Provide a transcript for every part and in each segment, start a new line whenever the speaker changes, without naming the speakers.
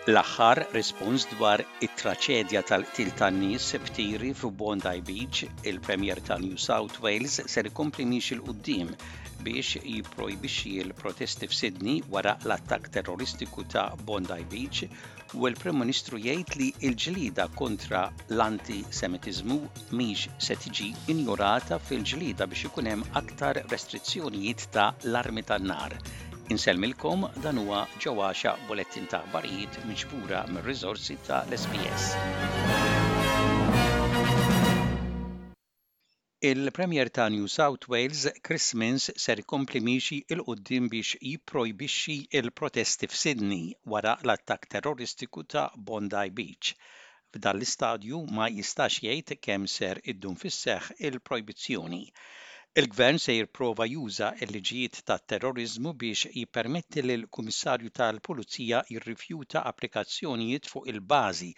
L-aħħar rispons dwar it-traċedja tal-qtil tan-nies b'tiri f'Bondi Beach, il-Premier ta' New South Wales ser ikompli miexi 'l quddiem biex jipprojbixxi l-protesti f'Sydney wara l-attakk terroristiku ta' Bondi Beach u l-Prim Ministru jgħid li l-ġlieda kontra l-anti-Semitiżmu mhix se tiġi injorata fil-ġlieda biex ikun hemm aktar restrizzjonijiet ta' l-armi tan-nar. Insellmilkom dan huwa Ġo Għaxaq bulettin ta' aħbarijiet miġbura mir-riżorsi ta' l-SBS. Il-Premier ta' New South Wales, Chris Minns ser ikompli miexi 'l quddiem biex jipprojbixxi l-protesti f'Sydney wara l-attakk terroristiku ta' Bondi Beach. F'dan l-istadju ma jistax jgħid kemm ser iddum fis-seħħ il-projbizzjoni. Il-Gvern se jirprova juża l-liġijiet tat-terroriżmu biex jippermetti lill-Kummissarju tal-Pulizija jirrifjuta applikazzjonijiet fuq il-bażi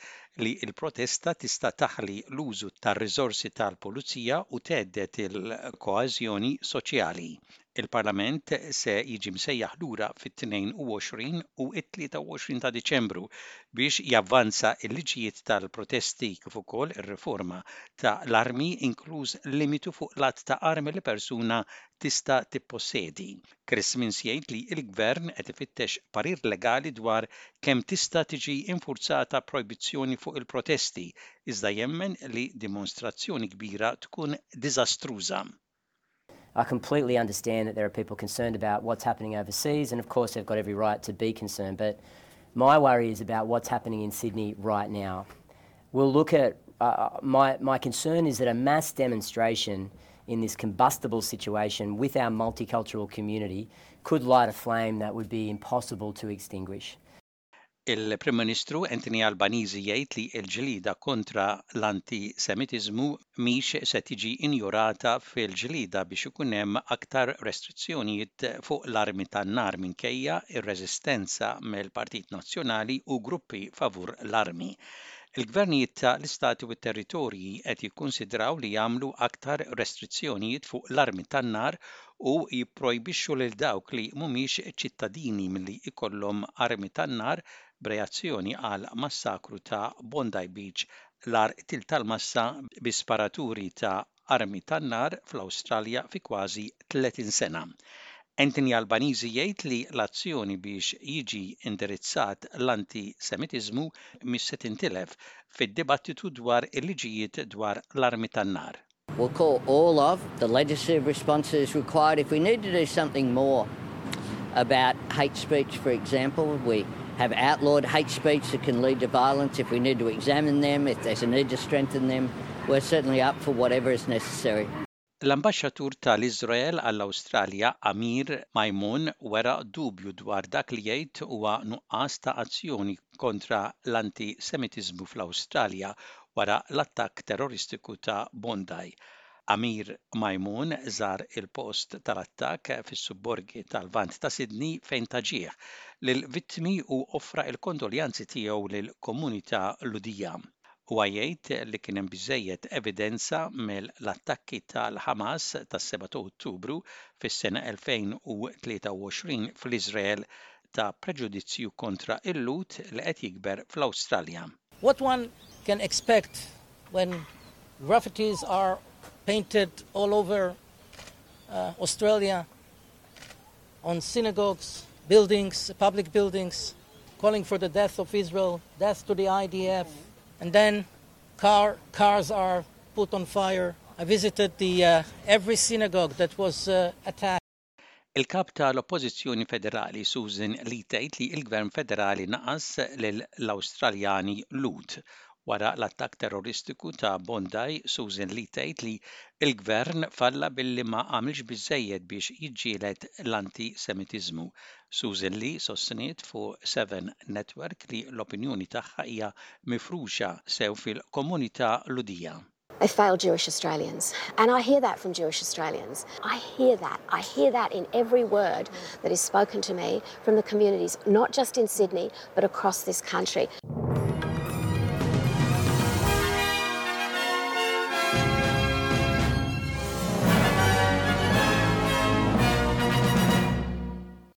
li l-protesta tista' taħli l-użu tar-riżorsi tal-pulizija u thedded il-koeżjoni soċjali. Il-Parlament se jiġi msejjaħ lura fit-22 u t-23 ta' Diċembru biex javvanza l-liġijiet tal-protesti kif ukoll ir-riforma ta' l-armi inkluż limitu fuq l-għadd ta' armi li persuna tista' tippossedi. Chris Minns jgħid li l-Gvern qed ifittex parir legali dwar kemm tista' tiġi infurzata projbizzjoni fuq il-protesti, iżda jemmen li dimonstrazzjoni kbira tkun diżastruża.
I completely understand that there are people concerned about what's happening overseas and of course they've got every right to be concerned but my worry is about what's happening in Sydney right now. We'll look at uh, my, my concern is that a mass demonstration in this combustible situation with our multicultural community could light a flame that would be impossible to extinguish.
Il-Prim Ministru Anthony Albanese jgħid li l-ġlieda kontra l-anti-Semitiżmu mhix se tiġi injorata fil-ġlieda biex ikun hemm aktar restrizzjonijiet fuq l-armi tan-nar minkejja r-reżistenza mill-Partit Nazzjonali u gruppi favur l-armi. Il-gvernijiet ta' l-istati u t-territorji qed jikkunsidraw li jagħmlu aktar restrizzjonijiet fuq l-armi tan-nar u jipprojbixxu lil dawk li mhumiex ċittadini milli jkollhom armi tan-nar b'reazzjoni għall-massakru ta' Bondi Beach, l-agħar qtil tal-massa bi sparaturi ta' armi tan-nar fl-Awstralja fi kważi 30 sena. Anthony Albanese jgħid li l-azzjoni biex jiġi indirizzat l-anti-Semitiżmu mhix se tintilef fid-dibattitu dwar il-liġijiet dwar l-armi tan-nar.
We'll call all of the legislative responses required. If we need to do something more about hate speech, for example, we have outlawed hate speech that can lead to violence. If we need to examine them, if there's a need to strengthen them, we're certainly up for whatever is necessary.
L-Ambaxxatur tal-Iżrael għall-Awstralja Amir Maimun wera dubju dwar dak li jgħid huwa nuqqas ta' azzjoni kontra l-anti-Semitiżmu fl-Awstralja wara l-attakk terroristiku ta' Bondi. Amir Maimun żar il-post tal-attakk fis-subborgi tal-Lvant ta' Sydney fejn ta ġieħ lill-vittmi u offra l-kondoljanzi tiegħu lill-komunità Lhudija. Huwa jgħid li kien hemm biżżejjed evidenza mill-attakki tal-Ħamas tas-7 ta' Ottubru fis-sena 2023 fl-Iżrael ta' preġudizzju kontra l-Lhud li qed jikber fl-Awstralja.
What one can expect when graffitis are painted all over uh, Australia on synagogues, buildings, public buildings, calling for the death of Israel, death to the IDF, and then car, cars are put on fire. I visited the, uh, every synagogue that was uh, attacked.
Il-Kap ta' l-Oppożizzjoni Federali Susan Lee tgħid li l-Gvern Federali naqas lill-Awstraljani Lhud. Wara l-attakk terroristiku ta' Bondi, Susan Lee tgħid li l-Gvern falla billi ma għamilx biżżejjed biex jiġġieled l-anti-Semitiżmu. Susan Lee sostniet fuq Seven Network li l-opinjoni tagħha hija mifruxa sew fil-komunità Lhudija.
They failed Jewish Australians. And I hear that from Jewish Australians. I hear that. I hear that in every word that is spoken to me from the communities, not just in Sydney, but across this country.